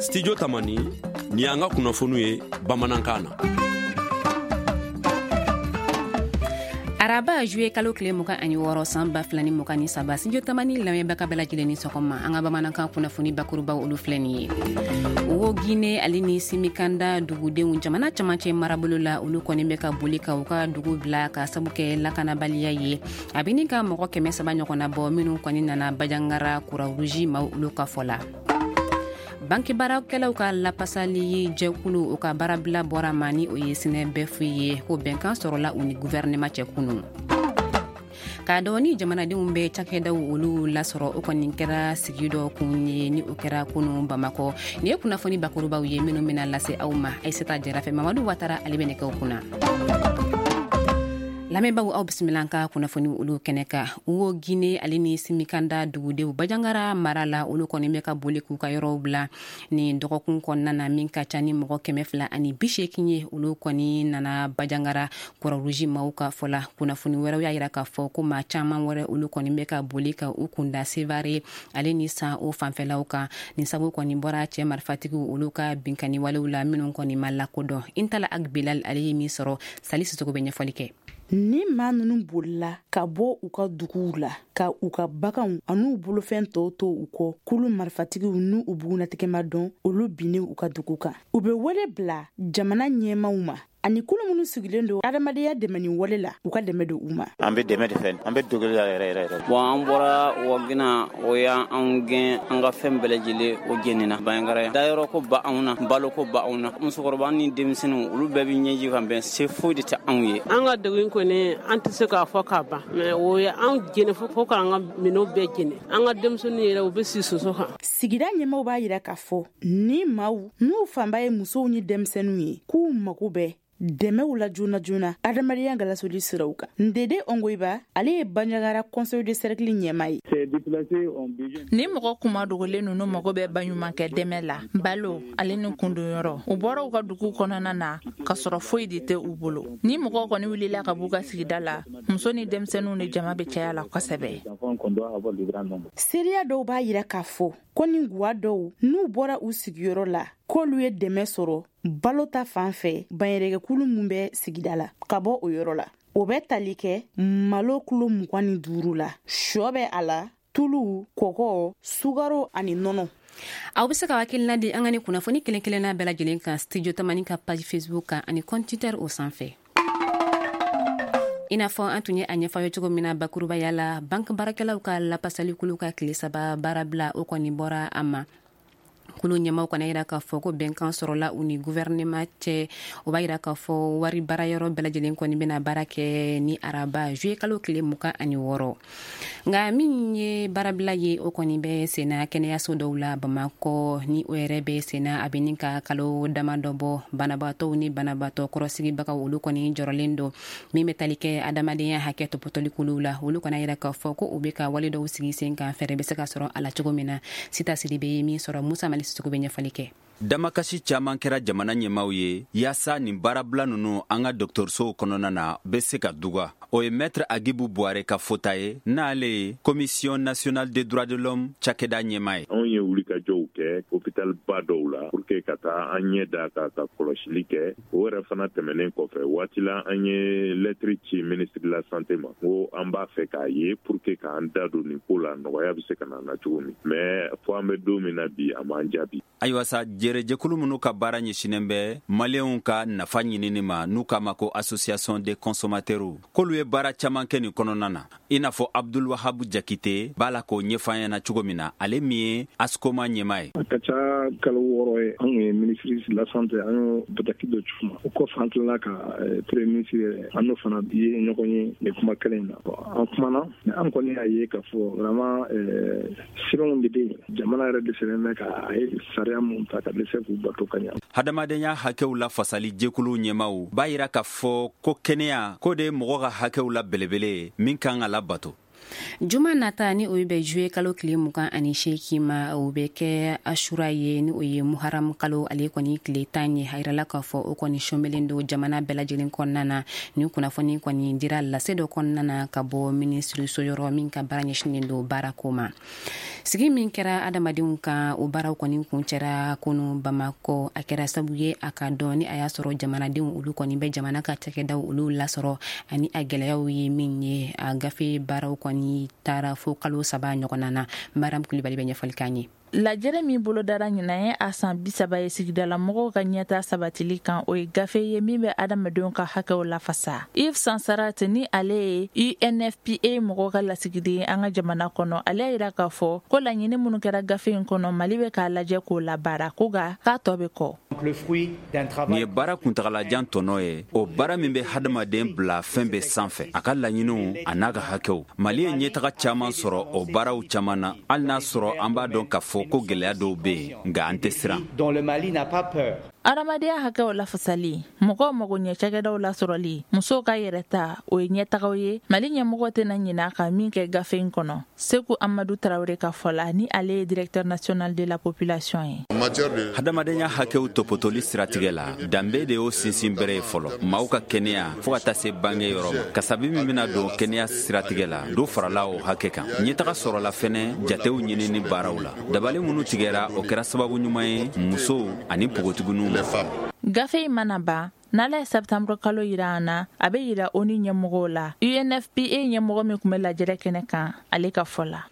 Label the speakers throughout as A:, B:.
A: Studio Tamani, nin y'an ka kunnafoniw ye bamanankan na.
B: Araba juillet kalo tile 26 san 2023, Studio Tamani lamɛnbaga bɛɛ lajɛlen ni sɔgɔma. An ka bamanankan kunnafoni bakurubaw, olu filɛ nin ye. Wo Guinée ale ni Simikanda dugudenw jamana camancɛ marabolo la, olu kɔni bɛ ka boli ka u ka dugu bila ka sabu kɛ lakanabaliya ye. A bɛ ni ka mɔgɔ 300 ɲɔgɔnna bɔ minnu kɔni nana Bandiagara, Croix-Rouge maaw olu ka fɔ la. Banki baarakɛlaw ka lapasali jɛkulu, o ka baarabila bɔra ma, ni o ye SYNEBEF ye, ko bɛnkan sɔrɔla u ni gouvernement cɛ kunu. K'a dɔn ni jamanadenw bɛ cakɛdaw olu lasɔrɔ, o kɔni kɛra sigi dɔ kun ye, ni o kɛra kunu Bamakɔ. Nin ye kunnafoni bakurubaw ye minnu bɛna lase aw ma Ayisata Jara fɛ. Mamadu Watara, ale bɛ nɛgɛw kunna. Lamɛnbaw, aw bisimila an ka kunnafoni olu kɛnɛ kan. Wo Guinée ale ni Simikanda dugudenw Bandiagara mara la, olu kɔni bɛ ka boli k'u ka yɔrɔw bila nin dɔgɔkun kɔnɔna na. Min ka ca ni mɔgɔ 280 ye, olu kɔni nana Bandiagara, Croix-Rouge maaw ka fɔ la. Kunnafoni wɛrɛw y'a yira k'a fɔ ko maa caman wɛrɛ, olu kɔni bɛ ka boli ka u kunda Sevare ale ni San o fanfɛlaw kan. Nin sabu kɔni bɔra cɛ marifatigiw olu ka binkani walew la minnu kɔni ma lakodɔn. Intala Ag Bilal, ale ye min sɔrɔ, Sali Sisoko bɛ ɲɛfɔli kɛ.
C: Ni maa ninnu bolila ka bɔ u ka duguw la ka u ka baganw an'u bolofɛn tɔw to u kɔ, kulu marifatigiw n'u u bugunatigɛma dɔn, olu binnen u ka dugu kan. U bɛ wele bila jamana ɲɛmaw ma ani kulu minnu sigilen don adamadenya dɛmɛni wale la, u ka dɛmɛ don u ma.
D: An bɛ dɛmɛ de fɛ, an bɛ dogoli la yɛrɛ yɛrɛ yɛrɛ.
E: Bon, an bɔra Wagina, o y'an gɛn, an ka fɛn bɛɛ lajɛlen o jenina Bandiagara. Dayɔrɔ ko ba anw na, balo ko ba anw na. Musokɔrɔba ni denmisɛnninw, olu bɛɛ bɛ ɲɛji kan bɛn, se foyi de tɛ anw ye.
F: An ka degun kɔni, an tɛ se k'a fɔ k'a ban, mais o ye anw jeni fo k'an ka minɛnw bɛɛ jeni. An ka denmisɛnninw yɛrɛ, u bɛ si soso kan.
C: Sigida ɲɛmaw b'a yira k'a fɔ ni maaw n'u fanba ye musow ni denmisɛnninw ye, k'u mago bɛ dɛmɛw la joona joona adamadenya galasoli siraw kan. Ndede Ongoyiba, ale ye Bandiagara conseil de cercle ɲɛma ye.
G: Ni mɔgɔ kuma dogolen ninnu mago bɛ baɲumankɛ dɛmɛ la, balo ale ni kundonyɔrɔ. U bɔra u ka dugu kɔnɔna na ka sɔrɔ foyi de tɛ u bolo. Ni mɔgɔw kɔni wulila ka b'u ka sigida la, muso ni denmisɛnninw ni jama bɛ caya la kosɛbɛ.
C: Seereya dɔw b'a yira k'a fɔ ko ni guwa dɔw n'u bɔra u sigiyɔrɔ la, k'olu ye dɛmɛ sɔrɔ balo ta fan fɛ banyɛrɛkɛkulu mun bɛ sigida la ka bɔ o yɔrɔ la. O bɛ tali kɛ malo kulo 25 la, shɔ bɛ a la, tulu, kɔgɔ, sukaro ani nɔnɔ.
B: Aw bɛ se ka hakilina di an ka ni kunnafoni kelen kelenna bɛɛ lajɛlen kan Studio Tamani ka page Facebook kan ani compte Twitter o sanfɛ. I n'a fɔ an tun ye a ɲɛfɔ ye cogo min na bakurubaya la, banque baarakɛlaw ka lapasalikulu ka tile 3 baarabila, o kɔni bɔra a ma. Kulu ɲɛmaw kana yira k'a fɔ ko bɛnkan sɔrɔla u ni gouvernement cɛ. O b'a yira k'a fɔ wari baarayɔrɔ bɛɛ lajɛlen kɔni bɛna baara kɛ ni araba juillet kalo tile 26. Nka min ye baarabila ye, o kɔni bɛ senna kɛnɛyaso dɔw la Bamakɔ. Ni o yɛrɛ bɛ senna, a bɛ ni ka kalo dama dɔ bɔ. Banabaatɔw ni banabaatɔ kɔrɔsigibagaw, olu kɔni jɔrɔlen don. Min bɛ tali kɛ adamadenya hakɛ tɔpɔtɔli kuluw la, olu kana yira k'a fɔ ko u bɛ ka wale dɔw sigi sen kan, fɛɛrɛ bɛ se ka sɔrɔ a la cogo min na. Sita Sidibe ye min sɔrɔ, Musa Mali Sisoko bɛ ɲɛfɔli kɛ.
H: Damakasi caaman kɛra jamana ɲɛmaw ye yaasa nin baarabila nunu an ka dɔgɔtɔrɔsow kɔnɔna na bɛ se ka duga. O ye Maître Agibu Buware ka fota ye, n'ale ye Commission nationale des droits de l'homme cakɛda ɲɛma ye.
I: Anw ye wulikajɔw kɛ hôpital ba dɔw la pour que ka taa an ɲɛ da ka kɔlɔsili kɛ. O yɛrɛ fana tɛmɛnen kɔfɛ, waati la an ye lɛtiri ci ministre de la santé ma ko an b'a fɛ k'a ye pour que k'an da don nin ko la, nɔgɔya bɛ se ka na na cogo min. Mais fo an bɛ don min na bi, a m'an jaabi.
H: Ayiwa sa, jɛrɛjɛkulu minnu ka baara ɲɛsinen bɛ maliyɛnw ka nafa ɲinini ma, n'u k'a ma ko association des consommateurs, k'olu ye baara caman kɛ nin kɔnɔna na, i n'a fɔ Abdul Wahabu Jakite b'a la k'o ɲɛfɔ an ɲɛna cogo min na, ale min ye ASCOMA ɲɛmaa ye.
J: A ka ca kalo 6 ye, an ye ministre de la santé, an y'o bataki dɔ ci ma. O kɔfɛ, an tilala ka premier ministre yɛrɛ, an n'o fana ye ɲɔgɔn ye nin kuma kelen in na. An kumana, an kɔni y'a ye k'a fɔ vraiment sɛbɛnw de bɛ yen, jamana yɛrɛ dɛsɛlen bɛ ka a ye sariya mun ta ka dɛsɛ k'u bato ka ɲa.
H: Hadamadenya hakɛw la fasali jɛkuluw ɲɛmaw b'a yira k'a fɔ ko kɛnɛya ko de ye mɔgɔ ka hakɛw la belebele ye min kan ka labato.
B: Juma nata, ni o bɛ juillet kalo tile 28 ma, o bɛ kɛ Asura ye, ni o ye Muharam kalo ale kɔni tile 10 ye. A yirala k'a fɔ o kɔni sɔnbelen don jamana bɛɛ lajɛlen kɔnɔna na. Ni kunnafoni kɔni dira lase dɔ kɔnɔna na ka bɔ minisiriso yɔrɔ min ka baara ɲɛsinnen don baarako ma. Sigi min kɛra adamadenw kan, o baaraw kɔni kuncɛra kunu Bamakɔ. A kɛra sabu ye a ka dɔn ni a y'a sɔrɔ jamanadenw olu kɔni bɛ jamana ka cakɛdaw olu lasɔrɔ ani a gɛlɛyaw ye min ye. A gafe baaraw kɔni taara fo kalo 3 ɲɔgɔnna na. Maram Kulibali bɛ ɲɛfɔli k'an ye.
G: Lajɛrɛ min bolodara ɲinan ye a san 30 ye sigidala mɔgɔw ka ɲɛta sabatili kan, o ye gafe ye min bɛ adamadenw ka hakɛw lafasa. Yves Sansarat, ni ale ye UNFPA mɔgɔw ka lasigiden ye an ka jamana kɔnɔ, ale y'a yira k'a fɔ ko laɲini minnu kɛra gafe in kɔnɔ, Mali bɛ k'a lajɛ k'o labaara, ko nka k'a tɔ bɛ kɔ.
H: Nin ye baara kuntagalajan tɔnɔ ye, o baara min bɛ hadamaden bila fɛn bɛɛ sanfɛ, a ka laɲiniw a n'a ka hakɛw. Mali ye ɲɛtaga caman sɔrɔ o baaraw caman na, hali n'a sɔrɔ an b'a dɔn k'a fɔ ko gɛlɛya dɔw bɛ yen, nka an tɛ siran.
G: Adamadenya hakɛw lafasali, mɔgɔw mago ɲɛ cakɛdaw lasɔrɔli, musow ka yɛrɛta, o ye ɲɛtagaw ye Mali ɲɛmɔgɔ tɛna ɲinɛ ka min kɛ gafe in kɔnɔ. Seku Amadu Tarawele ka fɔ la, ni ale ye directeur national de la population ye.
H: Hadamadenya hakɛw topotoli siratigɛ la, danbe de y'o sinsin bere ye fɔlɔ, maaw ka kɛnɛya fɔɔ ka taa se bange yɔrɔ ma. Kasabi min bɛna don kɛnɛya siratigɛ la, dɔ farala o hakɛ kan. Ɲɛtaga sɔrɔla fɛnɛ jatew ɲinini baaraw la. Dabali minnu tigɛra, o kɛra sababu ɲuman ye musow ani npogotigininw ma.
G: Gafe in mana ban, n'Ala ye septembre kalo yira an na, a bɛ yira ONU ɲɛmɔgɔw la. UNFPA ɲɛmɔgɔ min tun bɛ lajɛrɛ kɛnɛ kan, ale ka fɔ la.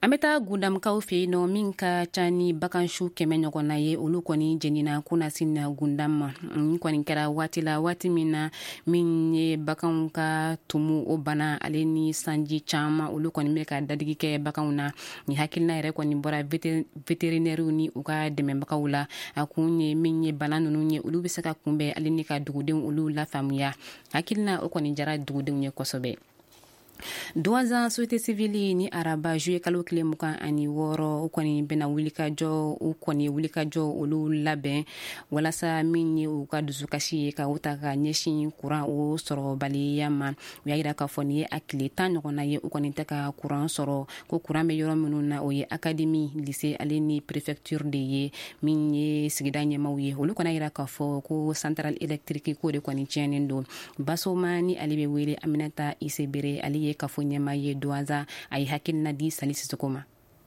B: An bɛ taa Gundamkaw fɛ yen nɔ, min ka ca ni bagansu 100 ɲɔgɔnna ye, olu kɔni jenina kunasini Gundam ma. Nin kɔni kɛra waati la, waati min na min ye baganw ka tumu o bana ale ni sanji caman, olu kɔni bɛ ka dadigi kɛ baganw na. Nin hakilina yɛrɛ kɔni bɔra vétérinaires ni u ka dɛmɛbagaw la. A kun ye min ye bana ninnu ye, olu bɛ se ka kunbɛn ale ni ka dugudenw olu lafaamuya. Hakilina o kɔni jara dugudenw ye kosɛbɛ. Douentza société civile ni araba juillet kalo tile 26, u kɔni bɛna wulikajɔ, u kɔni wulikajɔ olu labɛn walasa min ye u ka dusukasi ye ka u ta ka ɲɛsin kuran o sɔrɔbaliya ma. U y'a yira k'a fɔ nin ye a tile 10 ɲɔgɔnna ye u kɔni tɛ ka kuran sɔrɔ, ko kuran bɛ yɔrɔ minnu na, o ye académie, lycée ale ni préfecture de ye. Min ye sigida ɲɛmaw ye, olu kɔni y'a yira k'a fɔ ko centrale électrique ko de kɔni tiɲɛnen don. Basoma ni ale bɛ wele Aminata Isebere, ale ye kafo ɲɛma ye Douentza, a ye hakilina di Sali Sisoko ma.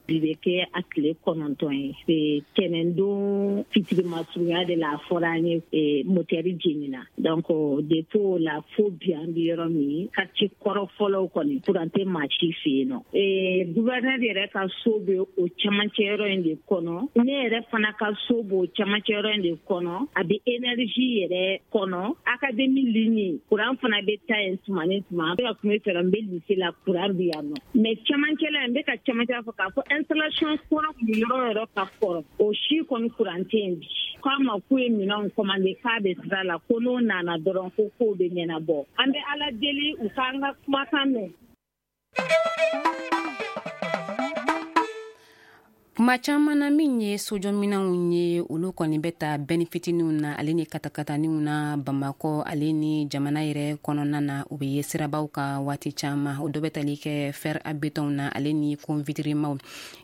K: Bi bɛ kɛ a tile 9 ye. Tɛnɛndon fitiri masurunya de la, a fɔra an ye motɛri jenina. Donc depuis o la fo bi, an bɛ yɔrɔ min, quartier kɔrɔ fɔlɔw kɔni, courant tɛ maa si fɛ yen nɔ. Gouverneur yɛrɛ ka so bɛ o cɛmancɛ yɔrɔ in de kɔnɔ, ne yɛrɛ fana ka so b'o cɛmancɛ yɔrɔ in de kɔnɔ, a bɛ énergie yɛrɛ kɔnɔ. Académie ligne, courant fana bɛ taa yen tuma ni tuma. An bɛ ka kuma i fɛ, n bɛ lycée la, courant bɛ yan nɔ, mais cɛmancɛ la, n bɛ ka cɛmancɛ fɔ k'a fɔ installation kɔrɔ kun bɛ yɔrɔ o yɔrɔ ka kɔrɔ, o si kɔni courant tɛ yen bi. K'a ma k'u ye minɛnw commandé, k'a bɛ sira la, ko n'o nana dɔrɔn, ko kow bɛ ɲɛnabɔ. An bɛ Ala deli u k'an ka kumakan mɛn.
B: Kuma caman na, min ye sojɔminɛnw ye, olu kɔni bɛ ta bɛni fitininw na ale ni katakataninw na Bamakɔ ale ni jamana yɛrɛ kɔnɔna na. U bɛ ye sirabaw ka waati caman, o dɔ bɛ tali kɛ fer à béton na ale ni convitrimaw.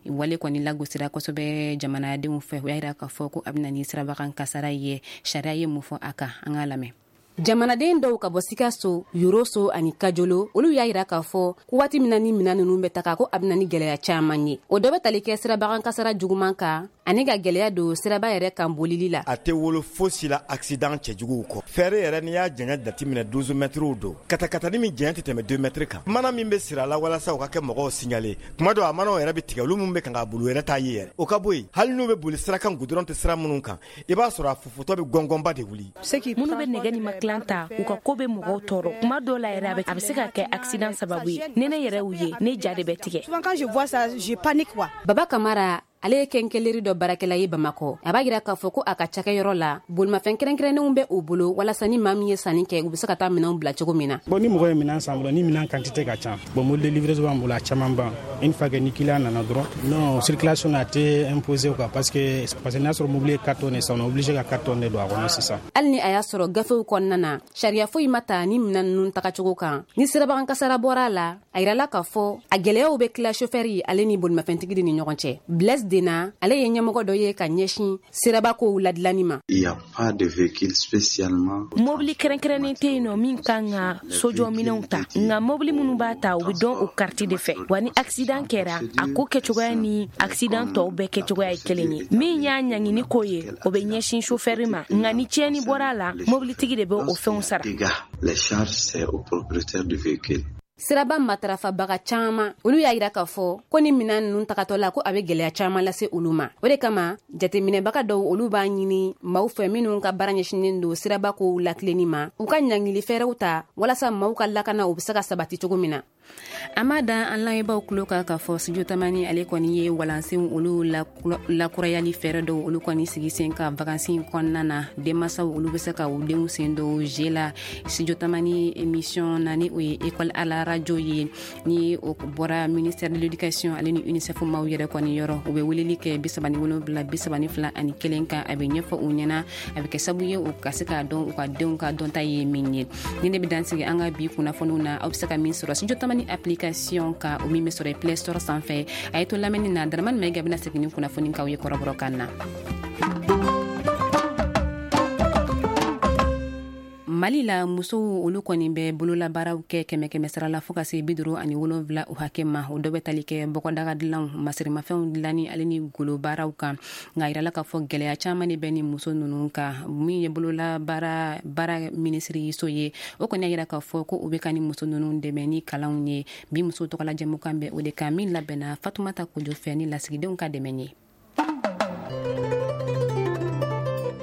B: Wale kɔni lagosira kosɛbɛ jamanadenw fɛ. U y'a yira k'a fɔ ko a bɛ na ni sirabakan kasara ye. Sariya ye mun fɔ a kan? An k'a lamɛn. Jamanaden dɔw ka bɔ Sikaso, Yoroso ani Kajolo, olu y'a yira k'a fɔ ko waati min na ni minɛn ninnu bɛ taga, ko a bɛ na ni gɛlɛya caman ye. O dɔ bɛ tali kɛ sirabakan kasara juguman kan ani ka gɛlɛya don siraba yɛrɛ kan bolili la.
L: A tɛ wolo fosi la accident cɛjuguw kɔ. Fer yɛrɛ, n'i y'a janya jateminɛ, 12 mètres don. Katakatani min janya tɛ tɛmɛ 2 mètres kan, mana min bɛ siri a la walasa u ka kɛ mɔgɔw signaler, kuma dɔ a manaw yɛrɛ bɛ tigɛ, olu min bɛ kan ka boli, u yɛrɛ t'a ye yɛrɛ. O ka bɔ yen, hali n'u bɛ boli sira kan, goudron tɛ sira minnu kan, i b'a sɔrɔ a fufutɔ bɛ gɔngɔnba de wuli.
M: Minnu bɛ nɛgɛ ni makilan ta, u ka ko bɛ mɔgɔw tɔɔrɔ. Kuma dɔw la yɛrɛ, a bɛ se ka kɛ accident sababu ye. Ni ne yɛrɛ y'u ye, ne ja de bɛ tigɛ.
B: Baba Kamara, ale ye quincaillerie dɔ baarakɛla ye Bamakɔ. A b'a yira k'a fɔ ko a ka cakɛyɔrɔ la, bolimafɛn kɛrɛnkɛrɛnnenw bɛ u bolo walasa ni maa min ye sanni kɛ, u bɛ se ka taa minɛnw bila cogo min na.
N: Bon, ni mɔgɔ ye minɛn san bolo, ni minɛn quantité ka ca, bon, mobile de livraison b'an bolo, a caman ban. Une fois que ni client nana dɔrɔn, non, circulation a tɛ imposer quoi, parce que n'a sɔrɔ mobili ye 4 tonnes san, on est obligé ka 4 tonnes de don a kɔnɔ sisan.
B: Hali ni a y'a sɔrɔ gafew kɔnɔna na, sariya foyi ma ta ni minɛn ninnu tagacogo kan, ni sirabagan kasara bɔra a la, a yirala k'a fɔ a gwɛlɛyaw bɛ tila sofɛri ale ni bolimafɛntigi ni ɲɔgɔn cɛ. Blaise. Dena, ale ye ɲɛmɔgɔ dɔ ye ka ɲɛsin siraba kow ladilanni ma.
M: Mobili kɛrɛnkɛrɛnnen tɛ yen nɔ min kan ka sojɔminɛnw ta, nka mobili minnu b'a ta, u bɛ dɔn o kariti de fɛ. Wa ni accident kɛra, a ko kɛcogoya ni accident tɔw bɛɛ kɛcogoya ye kelen ye. Min y'a ɲangini ko ye, o bɛ ɲɛsin chauffeur ma, nka ni tiɲɛni bɔra a la, mobilitigi de bɛ o fɛnw sara.
B: Siraba matarafabaga caman, olu y'a yira k'a fɔ ko ni minan ninnu tagatɔ la, ko a bɛ gɛlɛya caman lase olu ma. O de kama, jateminɛbaga dɔw, olu b'a ɲini maaw fɛ minnu ka baara ɲɛsinnen don siraba kow latilenni ma, u ka ɲangili fɛɛrɛw ta walasa maaw ka lakana u bɛ se ka sabati cogo min na. An b'a da an lamɛnbaaw tulo kan k'a fɔ Studio Tamani ale kɔni ye walansenw olu lakurayali fɛɛrɛ dɔw olu kɔni sigi sen kan vacances kɔnɔna na. Denmansaw, olu bɛ se ka u denw sen don jeu la Studio Tamani émission na, ni o ye école à la radio ye, ni o bɔra ministère de l'éducation ale ni UNICEF maaw yɛrɛ kɔni yɔrɔ. U bɛ weleli kɛ 37 32 1 kan, a bɛ ɲɛfɔ u ɲɛna, a bɛ kɛ sababu ye u ka se k'a dɔn u ka denw ka dɔnta ye min ye. Ni ne bɛ dan sigi an ka bi kunnafoniw na, aw bɛ se ka min sɔrɔ Studio Tamani application ka, o min bɛ sɔrɔ Play Store sanfɛ. A ye to lamɛnni na, Daramani Mayiga bɛna segin ni kunnafoni k'aw ye kɔrɔbɔrɔkan na. Mali la, musow olu kɔni bɛ bololabaaraw kɛ kɛmɛ kɛmɛ sara la fɔɔ ka se 57 o hakɛ ma. O dɔ bɛ tali kɛ bɔgɔdaga dilanw, masirimafɛnw dilanni ale ni golobaaraw kan. Nka yirala k'a fɔ gɛlɛya caman de bɛ ni muso ninnu kan. Min ye bololabaara baara minisiriso ye, o kɔni y'a yira k'a fɔ ko u bɛ ka ni muso ninnu dɛmɛ ni kalanw ye. Bi muso tɔgɔla jɛmukan bɛ o de kan, min labɛnna Fatumata Kojo fɛ ni lasigidenw ka dɛmɛ ye.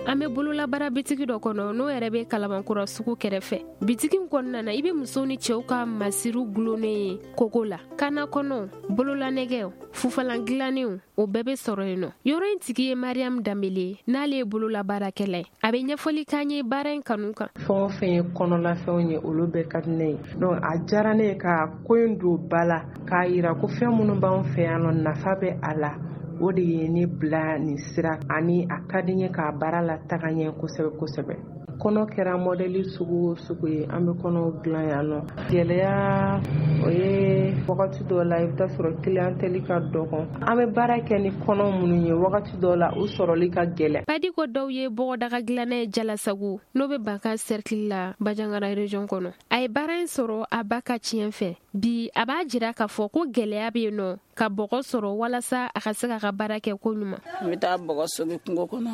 O: An bɛ bololabaara bitigi dɔ kɔnɔ, n'o yɛrɛ bɛ Kalabankura sugu kɛrɛfɛ. Bitigi in kɔnɔna na, i bɛ musow ni cɛw ka masiriw gulonnen ye kogo la. Kana kɔnɔw, bololanɛgɛw, fufalan dilannenw, o bɛɛ bɛ sɔrɔ yen nɔ. Yɔrɔ in tigi ye Mariam Danbele ye, n'ale ye bololabaarakɛla ye. A bɛ ɲɛfɔli k'an ye baara in kanu kan.
P: Fɛn o fɛn ye kɔnɔlafɛnw ye, olu bɛɛ ka di ne ye. Donc a diyara ne ye ka ko in don ba la, k'a yira ko fɛn minnu b'anw fɛ yan nɔ, nafa bɛ a la. O de ye ne bila nin sira, ani a ka di n ye k'a baara la taga ɲɛ kosɛbɛ kosɛbɛ. Kɔnɔ kɛra mɔdɛli sugu o sugu ye, an bɛ kɔnɔw dilan yan nɔ. Gɛlɛya o ye, wagati dɔw la i bɛ taa sɔrɔ clientèle ka dɔgɔn. An bɛ baara kɛ ni kɔnɔ minnu ye, wagati dɔw la u sɔrɔli ka gɛlɛn.
O: Padiko dɔw ye bɔgɔdaga dilanna ye Jalasagu, n'o bɛ Banka cercle la, Banjagara région kɔnɔ. A ye baara in sɔrɔ a ba ka tiɲɛ fɛ. Bi a b'a jira k'a fɔ ko gɛlɛya bɛ yen nɔ ka bɔgɔ sɔrɔ walasa a ka se k'a ka baara kɛ ko ɲuman.
Q: N bɛ taa bɔgɔ sogi kungo kɔnɔ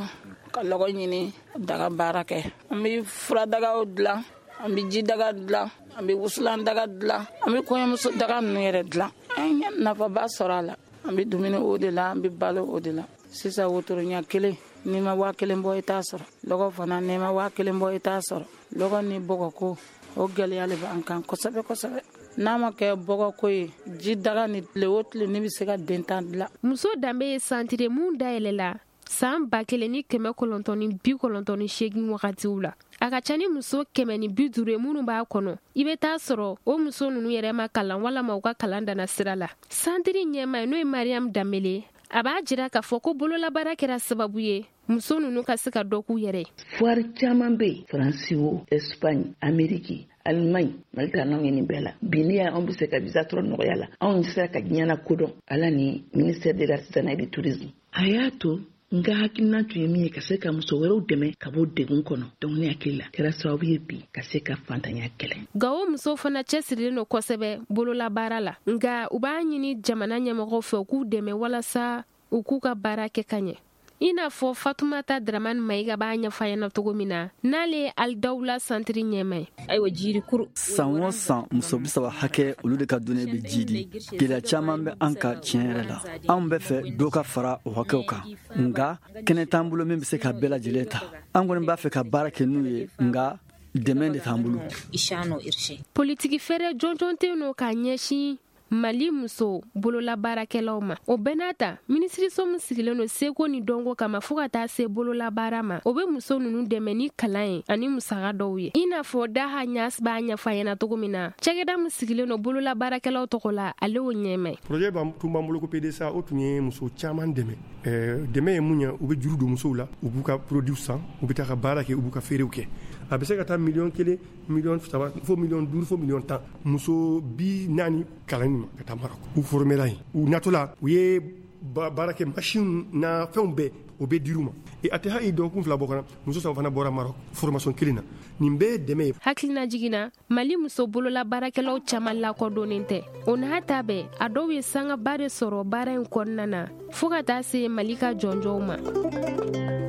Q: ka lɔgɔ ɲini, daga baara kɛ. An bɛ furadagaw dilan, an bɛ jidaga dilan, an bɛ wusulan daga dilan, an bɛ kɔɲɔmuso daga ninnu yɛrɛ dilan. An ye nafaba sɔrɔ a la. An bɛ dumuni o de la, an bɛ balo o de la. Sisan wotoro ɲɛ kelen, n'i ma 1000 bɔ i t'a sɔrɔ. Lɔgɔ fana, n'i ma 1000 bɔ i t'a sɔrɔ. Lɔgɔ ni bɔgɔko, o gɛlɛya de b'an kan kosɛbɛ kosɛbɛ. N'a ma kɛ bɔgɔko ye, ji daga ni tile o tile, ne bɛ se ka den 10 dilan.
O: Muso danbe ye santire mun dayɛlɛla san 1998 wagatiw la. A ka ca ni muso 150 ye minnu b'a kɔnɔ. I bɛ taa sɔrɔ o muso ninnu yɛrɛ ma kalan walama u ka kalan danna sira la. Santiri ɲɛmaa ye, n'o ye Mariam Danbele, a b'a jira k'a fɔ ko bololabaara kɛra sababu ye muso ninnu ka se ka dɔ k'u yɛrɛ ye.
R: Foire caman bɛ yen, Faransi o, Espagne, Amérique, Allemagne, Mali taara n'anw ye nin bɛɛ la. Bi n'i y'a anw bɛ se ka visa sɔrɔ nɔgɔya la, anw sera ka diɲɛ na kodɔn Ala ni ministère de l'artisanat et du tourisme. A y'a to n ka hakilina tun ye min ye, ka se ka muso wɛrɛw dɛmɛ ka bɔ degun kɔnɔ. Donc ne hakili la kɛra sababu ye bi ka se ka fantanya kɛlɛ.
O: Gawo musow fana cɛsirilen don kosɛbɛ bololabaara la, nka u b'a ɲini jamana ɲɛmɔgɔw fɛ u k'u dɛmɛ walasa u k'u ka baara kɛ ka ɲɛ. I n'a fɔ Fatumata Dramani Mayiga b'a ɲɛfɔ a ɲɛna cogo min na, n'ale ye Alidawula santiri ɲɛma ye.
S: Ayiwa, jirikuru.
T: San o san, muso 30 hakɛ, olu de ka dunɛ bɛ ji di. Gɛlɛya caman bɛ an ka tiɲɛ yɛrɛ la. Anw bɛ fɛ dɔ ka fara o hakɛw kan, nka kɛnɛ t'an bolo min bɛ se ka bɛɛ lajɛlen ta. An kɔni b'a fɛ ka baara kɛ n'u ye, nka dɛmɛ de t'an bolo.
O: Politiki fɛɛrɛ jɔnjɔn tɛ yen nɔ k'a ɲɛsin Mali muso bololabaarakɛlaw ma. O bɛɛ n'a ta, minisiriso min sigilen don seko ni dɔnko kama fɔɔ ka taa se bololabaara ma, o bɛ muso ninnu dɛmɛ ni kalan ye ani musaka dɔw ye. I n'a fɔ Daha Ɲas b'a ɲɛfɔ a ɲɛna cogo min na, cakɛda min sigilen don bololabaarakɛlaw tɔgɔ la, ale y'o ɲɛma ye.
U: Projet tun b'an bolo ko PDSA, o tun ye muso caman dɛmɛ. Dɛmɛ ye mun ye, u bɛ juru don musow la, u b'u ka produit san, u bɛ taa ka baara kɛ, u b'u ka feerew kɛ. A bɛ se ka taa 1 million, 3 million, fo 5 million, fo 10 million. Muso 40 kalanni ma ka taa Maroc, u formera yen. U natɔla, u ye Baarakɛ machine na fɛnw bɛɛ, o bɛ dir'u ma. A tɛ hali dɔgɔkun 2 bɔ fana, muso 3 fana bɔra Maroc formation kelen na. Nin bɛɛ ye dɛmɛ ye.
O: Hakilina jiginna, Mali muso bolola baarakɛlaw caman lakodɔnnen tɛ. O n'a ta bɛɛ, a dɔw ye sangaba de sɔrɔ baara in kɔnɔna na, fɔɔ ka taa se Mali ka jɔnjɔnw ma.